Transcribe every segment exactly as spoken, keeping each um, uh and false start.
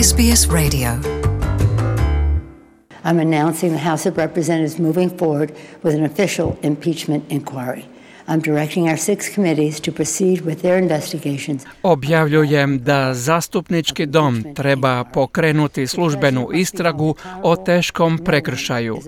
S B S Radio. I'm announcing the House of Representatives moving forward with an official impeachment inquiry. I'm directing our six committees to proceed with their investigations. Objavljujem da zastupnički dom treba pokrenuti službenu istragu o teškom prekršaju.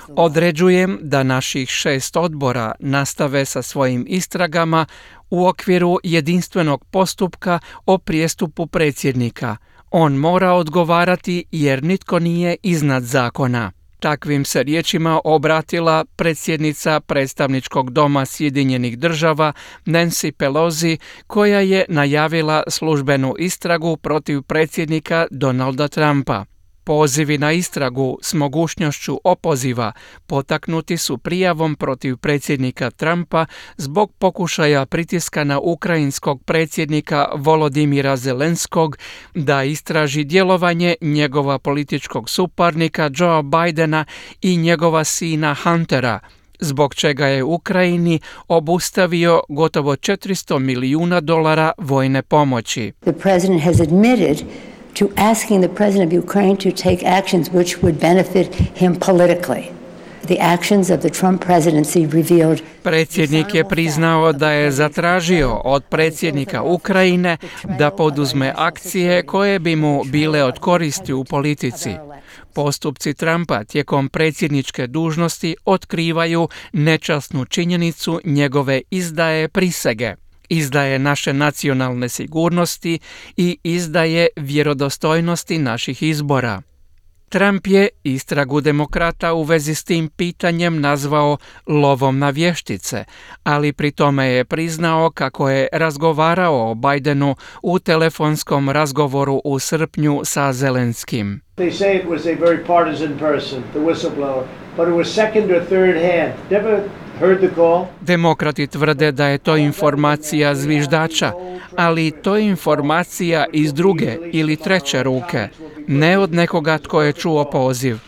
Određujem da naših šest odbora nastave sa svojim istragama u okviru jedinstvenog postupka o prijestupu predsjednika. On mora odgovarati jer nitko nije iznad zakona. Takvim se riječima obratila predsjednica predstavničkog doma Sjedinjenih država Nancy Pelosi, koja je najavila službenu istragu protiv predsjednika Donalda Trumpa. Pozivi na istragu s mogućnošću opoziva potaknuti su prijavom protiv predsjednika Trumpa zbog pokušaja pritiska na ukrajinskog predsjednika Volodimira Zelenskog da istraži djelovanje njegova političkog suparnika Joea Bidena i njegova sina Huntera, zbog čega je Ukrajini obustavio gotovo četiristo milijuna dolara vojne pomoći. The president has admitted to asking the president of Ukraine to take actions which would benefit him politically. The actions of the Trump presidency revealed. Predsjednik je priznao da je zatražio od predsjednika Ukrajine da poduzme akcije koje bi mu bile od koristi u politici. Postupci Trumpa tijekom predsjedničke dužnosti otkrivaju nečasnu činjenicu njegove izdaje prisege, izdaje naše nacionalne sigurnosti i izdaje vjerodostojnosti naših izbora. Trump je istragu demokrata u vezi s tim pitanjem nazvao lovom na vještice, ali pri tome je priznao kako je razgovarao o Bidenu u telefonskom razgovoru u srpnju sa Zelenskim. They say it was a very partisan person, the whistleblower, but it was second or third hand. Never heard the call. Demokrati tvrde da je to informacija zviždača, ali to je informacija iz druge ili treće ruke, ne od nekoga tko je čuo poziv.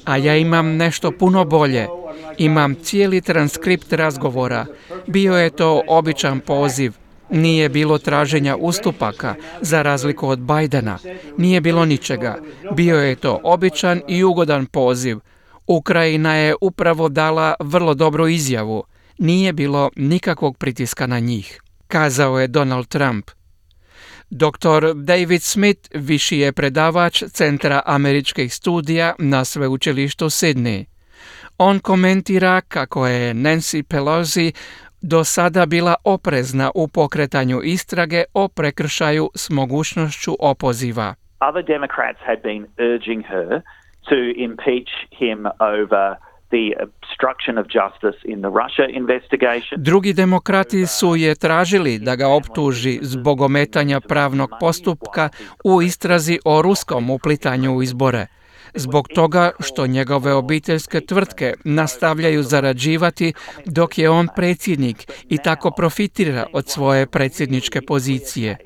A ja imam nešto puno bolje. Imam cijeli transkript razgovora. Bio je to običan poziv. Nije bilo traženja ustupaka, za razliku od Bidena. Nije bilo ničega. Bio je to običan i ugodan poziv. Ukrajina je upravo dala vrlo dobru izjavu. Nije bilo nikakvog pritiska na njih, kazao je Donald Trump. doktor David Smith viši je predavač Centra američkih studija na sveučilištu Sydney. On komentira kako je Nancy Pelosi do sada bila oprezna u pokretanju istrage o prekršaju s mogućnošću opoziva. Other Democrats had been urging her to impeach him over the obstruction of justice in the Russia investigation. Drugi demokrati su je tražili da ga optuži zbog ometanja pravnog postupka u istrazi o ruskom uplitanju u izbore. Zbog toga što njegove obiteljske tvrtke nastavljaju zarađivati dok je on predsjednik i tako profitira od svoje predsjedničke pozicije.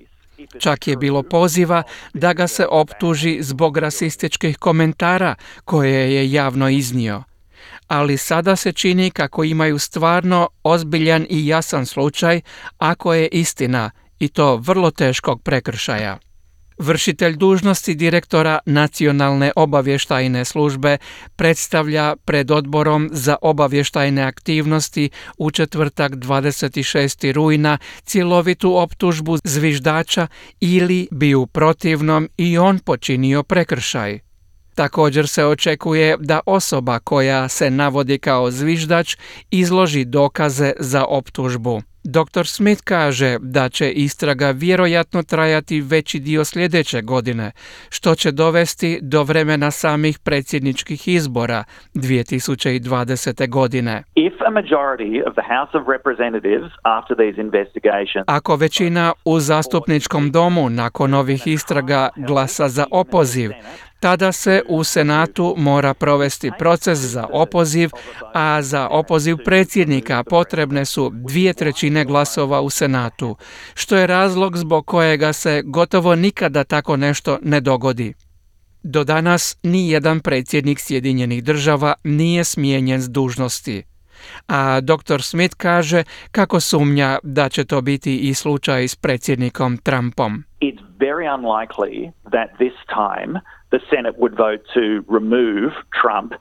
Čak je bilo poziva da ga se optuži zbog rasističkih komentara koje je javno iznio. Ali sada se čini kako imaju stvarno ozbiljan i jasan slučaj ako je istina, i to vrlo teškog prekršaja. Vršitelj dužnosti direktora Nacionalne obavještajne službe predstavlja pred odborom za obavještajne aktivnosti u četvrtak dvadeset šestog rujna cjelovitu optužbu zviždača ili bi u protivnom i on počinio prekršaj. Također se očekuje da osoba koja se navodi kao zviždač izloži dokaze za optužbu. doktor Smith kaže da će istraga vjerojatno trajati veći dio sljedeće godine, što će dovesti do vremena samih predsjedničkih izbora dvije tisuće dvadesete. godine. If a majority of the House of Representatives after these investigations, Ako većina u zastupničkom domu nakon ovih istraga glasa za opoziv, tada se u Senatu mora provesti proces za opoziv, a za opoziv predsjednika potrebne su dvije trećine glasova u Senatu, što je razlog zbog kojega se gotovo nikada tako nešto ne dogodi. Do danas ni jedan predsjednik Sjedinjenih država nije smijenjen s dužnosti. A doktor Smith kaže kako sumnja da će to biti i slučaj s predsjednikom Trumpom. it's very unlikely that this time the Senate would vote to remove Trump.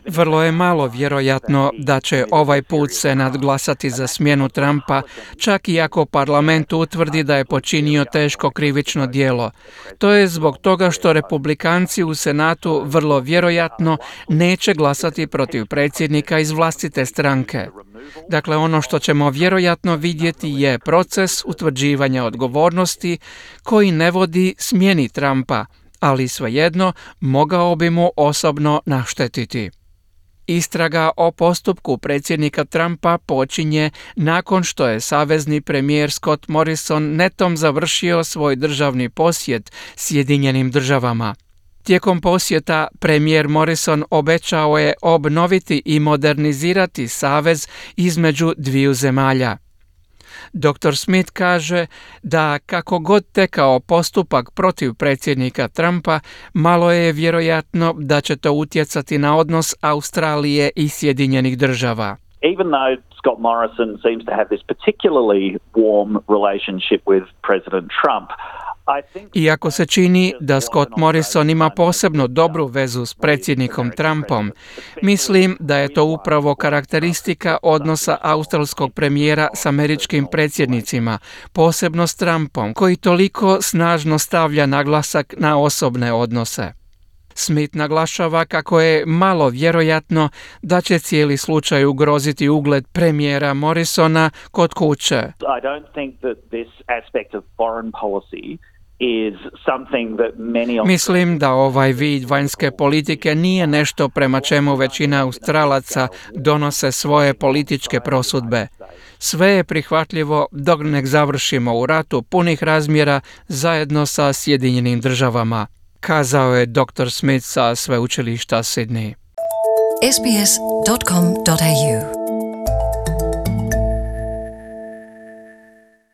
Vrlo je malo vjerojatno da će ovaj put Senat glasati za smjenu Trumpa, čak i ako parlament utvrdi da je počinio teško krivično djelo. To je zbog toga što republikanci u Senatu vrlo vjerojatno neće glasati protiv predsjednika iz vlastite stranke. Dakle, ono što ćemo vjerojatno vidjeti je proces utvrđivanja odgovornosti koji ne vodi smjeni Trumpa, ali svejedno mogao bi mu osobno naštetiti. Istraga o postupku predsjednika Trumpa počinje nakon što je savezni premijer Scott Morrison netom završio svoj državni posjet Sjedinjenim državama. Tijekom posjeta premijer Morrison obećao je obnoviti i modernizirati savez između dviju zemalja. doktor Smith kaže da kako god tekao postupak protiv predsjednika Trumpa, malo je vjerojatno da će to utjecati na odnos Australije i Sjedinjenih država. Even though Scott Morrison seems to have this particularly warm relationship with President Trump, Iako se čini da Scott Morrison ima posebno dobru vezu s predsjednikom Trumpom, mislim da je to upravo karakteristika odnosa australskog premijera s američkim predsjednicima, posebno s Trumpom, koji toliko snažno stavlja naglasak na osobne odnose. Smith naglašava kako je malo vjerojatno da će cijeli slučaj ugroziti ugled premijera Morrisona kod kuće. I don't think that this aspect of foreign policy is something that many Mislim da ovaj vid vanjske politike nije nešto prema čemu većina Australaca donose svoje političke prosudbe. Sve je prihvatljivo dok ne završimo u ratu punih razmjera zajedno sa Sjedinjenim državama, kazao je doktor Smith sa sveučilišta Sydney. s b s dot com dot a u